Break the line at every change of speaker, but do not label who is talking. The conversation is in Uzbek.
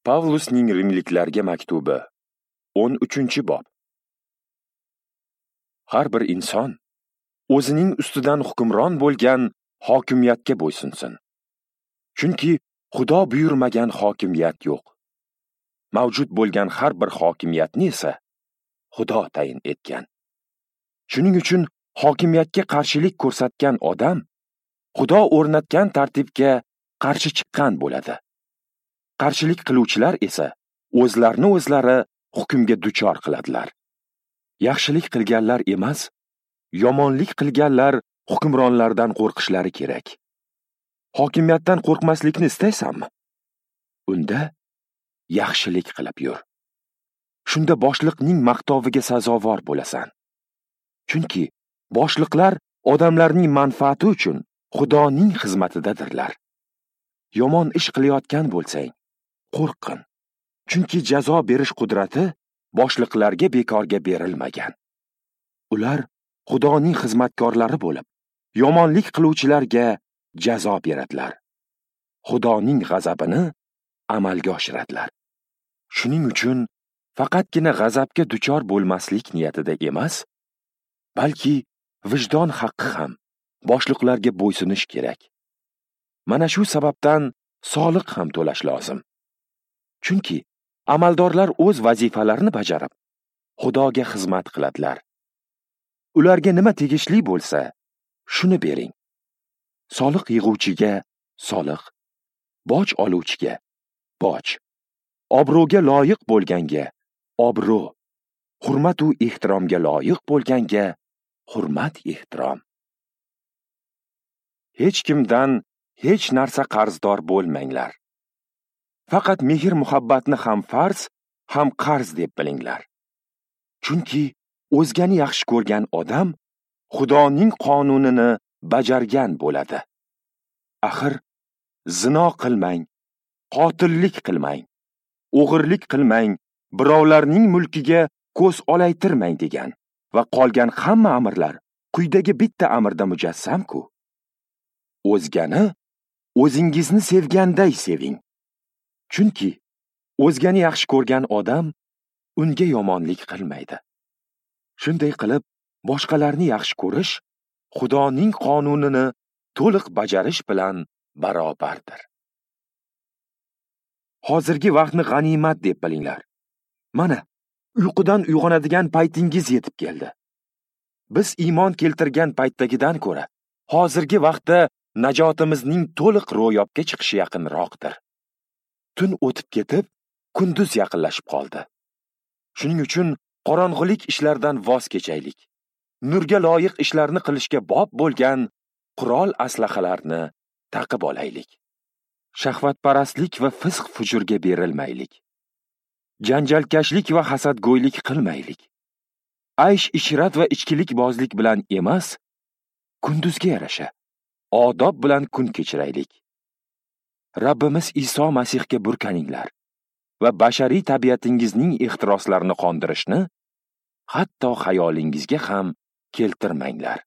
Pavlusning Rimliklarga maktubi, 13-bob. Har bir inson o'zining ustidan hukmron bo'lgan hokimiyatga bo'ysunsin. Chunki Xudo buyurmagan hokimiyat yo'q. Mavjud bo'lgan har bir hokimiyatni esa Xudo tayin etgan. Shuning uchun hokimiyatga qarshilik ko'rsatgan odam Xudo o'rnatgan tartibga qarshi chiqqan bo'ladi. Qarshilik qiluvchilar esa o'zlarini o'zlari hukmga duchor qiladilar. Yaxshilik qilganlar emas, yomonlik qilganlar hukmronlardan qo'rqishlari kerak. Hokimiyatdan qo'rqmaslikni istaysanmi? Unda yaxshilik qilib yur. Shunda boshliqning maqtoviga sazovor bo'lasan. Chunki boshliqlar odamlarning manfaati uchun Xudoning xizmatidadirlar. Yomon ish qilayotgan bo'lsang, qo'rqin. Chunki jazo berish qudrati boshliqlarga bekorga berilmagan. Ular Xudoning xizmatkorlari bo'lib, yomonlik qiluvchilarga jazo beradilar. Xudoning g'azabini amalga oshiradilar. Shuning uchun faqatgina g'azabga duchor bo'lmaslik niyatida emas, balki vijdon haqqi ham boshliqlarga bo'ysunish kerak. Mana shu sababdan soliq ham to'lash lozim. Chunki amaldorlar o'z vazifalarini bajarib, Xudoga xizmat qiladilar. Ularga nima tegishli bo'lsa, shuni bering. Soliq yig'uvchiga soliq, boj oluvchiga boj, obro'ga loyiq bo'lganga obro', hurmat u ehtiromga loyiq bo'lganga hurmat ehtirom. Hech kimdan hech narsa qarzdor bo'lmanglar. Faqat mehr-muhabbatni ham farz, ham qarz deb bilinglar. Chunki o'zgani yaxshi ko'rgan odam Xudoning qonunini bajargan bo'ladi. Axir zino qilmang, qotillik qilmang, o'g'irlik qilmang, birovlarning mulkiga ko'z olaytirmang degan va qolgan hamma amrlar quyidagi bitta amrda mujassam-ku. O'zgani o'zingizni sevganday seving. Chunki o'zgani yaxshi ko'rgan odam unga yomonlik qilmaydi. Shunday qilib, boshqalarni yaxshi ko'rish Xudoning qonunini to'liq bajarish bilan barobardir. Hozirgi vaqtni g'animat deb bilinglar. Mana, uyqudan uyg'onadigan paytingiz yetib keldi. Biz iymon keltirgan paytdagidan ko'ra, hozirgi vaqtda najotimizning to'liq ro'yobga chiqishi yaqinroqdir. Tun o'tib ketib, kunduz yaqinlashib qoldi. Shuning uchun qorong'ulik ishlardan voz kechaylik. Nurga loyiq ishlarni qilishga bob bo'lgan qurol aslahalarni taqib olaylik. Shahvatparastlik va fisq-fujurga berilmaylik. Janjalkashlik va hasadgo'ylik qilmaylik. Aysh-ishrat va ichkilikbozlik bilan emas, kunduzga yarasha odob bilan kun kechiraylik. Rabbimiz Iso Masihga burkaninglar va bashariy tabiatingizning ehtiroslarini qondirishni hatto xayolingizga ham keltirmanglar.